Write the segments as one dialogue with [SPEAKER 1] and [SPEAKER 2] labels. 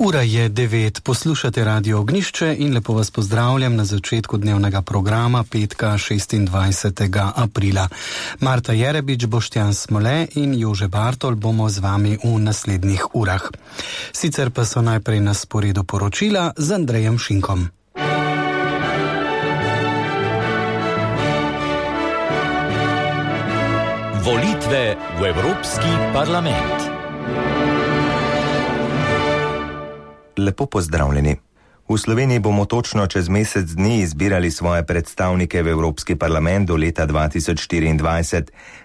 [SPEAKER 1] Ura je 9, poslušate Radio Ognišče in lepo vas pozdravljam na začetku dnevnega programa petka 26. aprila. Marta Jerebič, Boštjan Smole in Jože Bartol bomo z vami v naslednjih urah. Sicer pa so najprej na sporedu poročila z Andrejem Šinkom.
[SPEAKER 2] Volitve v Evropski parlament.
[SPEAKER 3] Lepo pozdravljeni. V Sloveniji bomo točno čez mesec dni izbirali svoje predstavnike v Evropski parlament do leta 2024.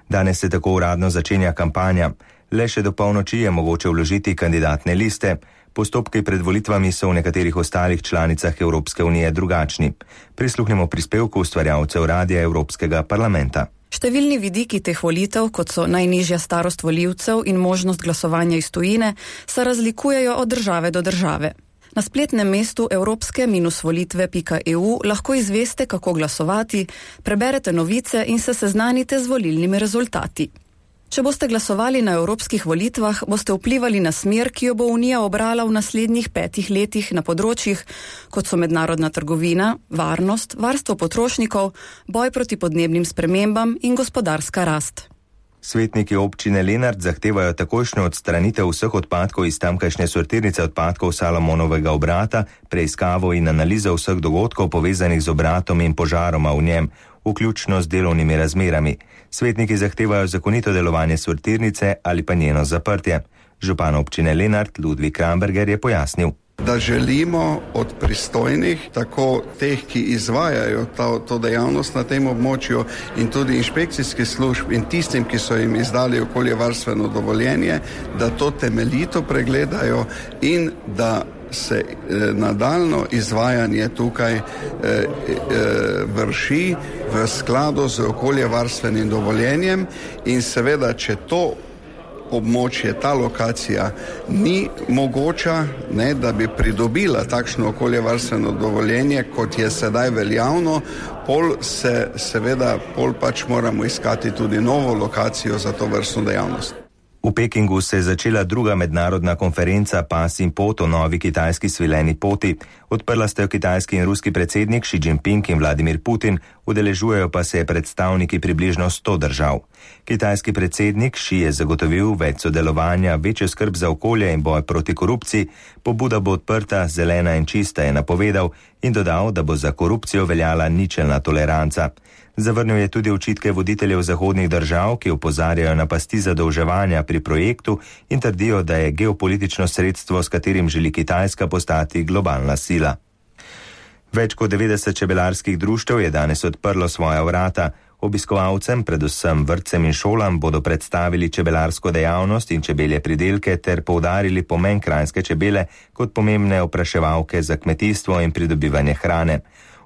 [SPEAKER 3] Danes se tako uradno začenja kampanja. Le še do polnoči je mogoče vložiti kandidatne liste. Postopki pred volitvami so v nekaterih ostalih članicah Evropske unije drugačni. Prisluhnimo prispevku ustvarjalcev Radia Evropskega parlamenta.
[SPEAKER 4] Številni vidiki teh volitev, kot so najnižja starost volivcev in možnost glasovanja iz tujine, se razlikujejo od države do države. Na spletnem mestu evropske-volitve.eu lahko izveste, kako glasovati, preberete novice in se seznanite z volilnimi rezultati. Če boste glasovali na evropskih volitvah, boste vplivali na smer, ki jo bo Unija obrala v naslednjih 5 letih na področjih, kot so mednarodna trgovina, varnost, varstvo potrošnikov, boj proti podnebnim spremembam in gospodarska rast.
[SPEAKER 3] Svetniki občine Lenart zahtevajo takojšnjo odstranitev vseh odpadkov iz tamkajšnje sortirnice odpadkov Salomonovega obrata, preiskavo in analizo vseh dogodkov povezanih z obratom in požaroma v njem, vključno z delovnimi razmerami. Svetniki zahtevajo zakonito delovanje sortirnice ali pa njeno zaprtje. Župan občine Lenart Ludvik Kramberger je pojasnil,
[SPEAKER 5] da želimo od pristojnih, tako teh, ki izvajajo to dejavnost na tem območju in tudi inšpekcijskih služb in tistim, ki so jim izdali okoljevarstveno dovoljenje, da to temeljito pregledajo in da se nadaljno izvajanje tukaj vrši v skladu z okoljevarstvenim dovoljenjem in seveda, če to območje, ta lokacija ni mogoča, da bi pridobila takšno okoljevarstveno dovoljenje, kot je sedaj veljavno, pol pač moramo iskati tudi novo lokacijo za to vrstno dejavnost.
[SPEAKER 3] V Pekingu se je začela druga mednarodna konferenca Pas in pot o novi kitajski svileni poti. Odprla sta jo kitajski in ruski predsednik Xi Jinping in Vladimir Putin, udeležujejo pa se predstavniki približno 100 držav. Kitajski predsednik Xi je zagotovil več sodelovanja, večjo skrb za okolje in boj proti korupciji, pobuda bo odprta, zelena in čista, je napovedal in dodal, da bo za korupcijo veljala ničelna toleranca. Zavrnil je tudi očitke voditeljev zahodnih držav, ki opozarjajo na pasti zadolževanja pri projektu in trdijo, da je geopolitično sredstvo, s katerim želi Kitajska postati globalna sila. Več kot 90 čebelarskih društev je danes odprlo svoja vrata. Obiskovalcem, predvsem vrtcem in šolam, bodo predstavili čebelarsko dejavnost in čebelje pridelke ter poudarili pomen kranjske čebele kot pomembne opraševalke za kmetijstvo in pridobivanje hrane.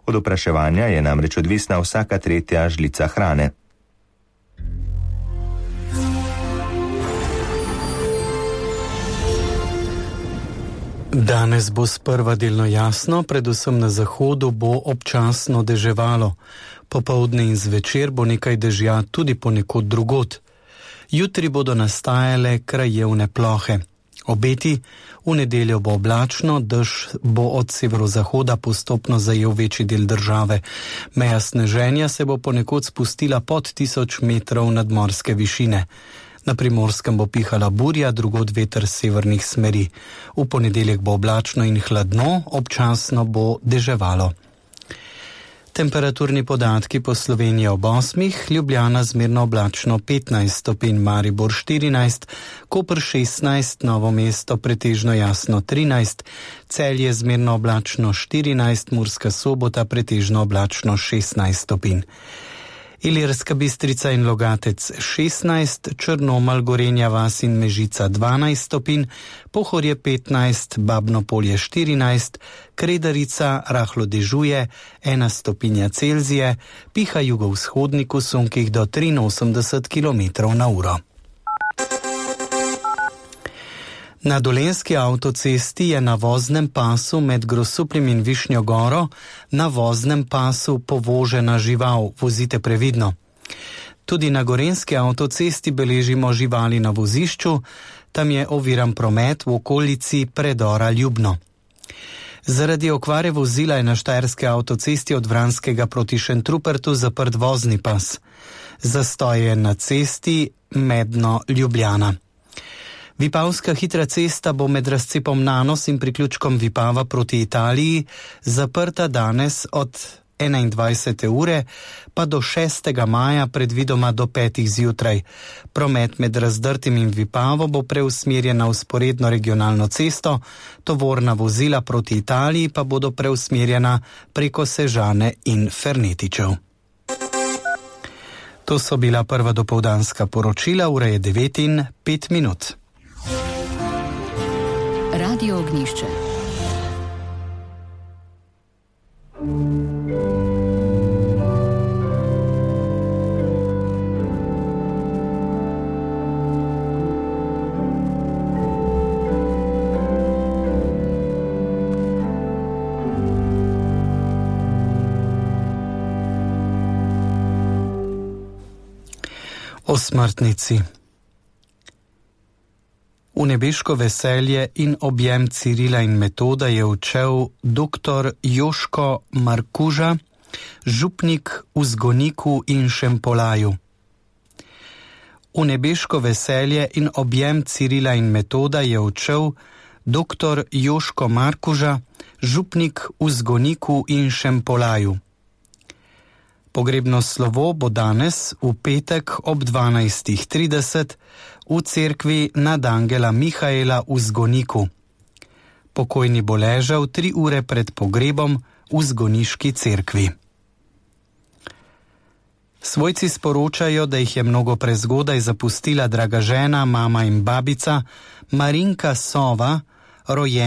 [SPEAKER 3] Od opraševanja je namreč odvisna vsaka tretja žlica hrane.
[SPEAKER 1] Danes bo sprva delno jasno, predvsem na zahodu bo občasno deževalo. Popoldne in zvečer bo nekaj dežja tudi ponekod drugod. Jutri bodo nastajale krajevne plohe. Obeti, v nedeljo bo oblačno, dež bo od severozahoda postopno zajel večji del države. Meja sneženja se bo ponekod spustila pod 1000 metrov nadmorske višine. Na Primorskem bo pihala burja, drugod veter severnih smeri. V ponedeljek bo oblačno in hladno, občasno bo deževalo. Temperaturni podatki po Sloveniji ob 8, Ljubljana zmerno oblačno 15 stopinj, Maribor 14, Koper 16, Novo mesto pretežno jasno 13, Celje zmerno oblačno 14, Murska Sobota pretežno oblačno 16 stopinj. Ilirska Bistrica in Logatec 16, Črnomelj, Gorenja vas in Mežica 12 stopinj, Pohorje 15, Babno Polje 14, Kredarica rahlo dežuje 1 stopinja Celzije, piha jugovzhodnik v sunkih do 83 km/h. Na Dolenjski avtocesti je na voznem pasu med Grosupljem in Višnjo Goro na voznem pasu povožena žival, vozite previdno. Tudi na Gorenjski avtocesti beležimo živali na vozišču, Tam je oviran promet v okolici predora Ljubno. Zaradi okvare vozila je na štajerski avtocesti od Vranskega proti Šentrupertu zaprt vozni pas. Zastoj je na cesti Medno-Ljubljana. Vipavska hitra cesta bo med razcepom Nanos in priključkom Vipava proti Italiji zaprta danes od 21. ure pa do 6. maja predvidoma do 5. zjutraj. Promet med Razdrtim in Vipavo bo preusmerjen na vzporedno regionalno cesto, tovorna vozila proti Italiji pa bodo preusmerjena preko Sežane in Fernetičev. To so bila prva dopoldanska poročila, ura je 9:05.
[SPEAKER 6] Radio Ognjišče.
[SPEAKER 1] O smrtnici. V nebeško veselje in objem Cirila in Metoda je odšel dr. Joško Markuža, župnik v Zgoniku in Šempolaju. V nebeško veselje in objem Cirila in Metoda je odšel dr. Joško Markuža, župnik v Zgoniku in Šempolaju. Pogrebno slovo bo danes v petek ob 12:30 v cerkvi nad Angela Mihaela v Zgoniku. Pokojni bo ležal 3 ure pred pogrebom v zgoniški cerkvi. Svojci sporočajo, da jih je mnogo prezgodaj zapustila draga žena, mama in babica Marinka Sova, rojena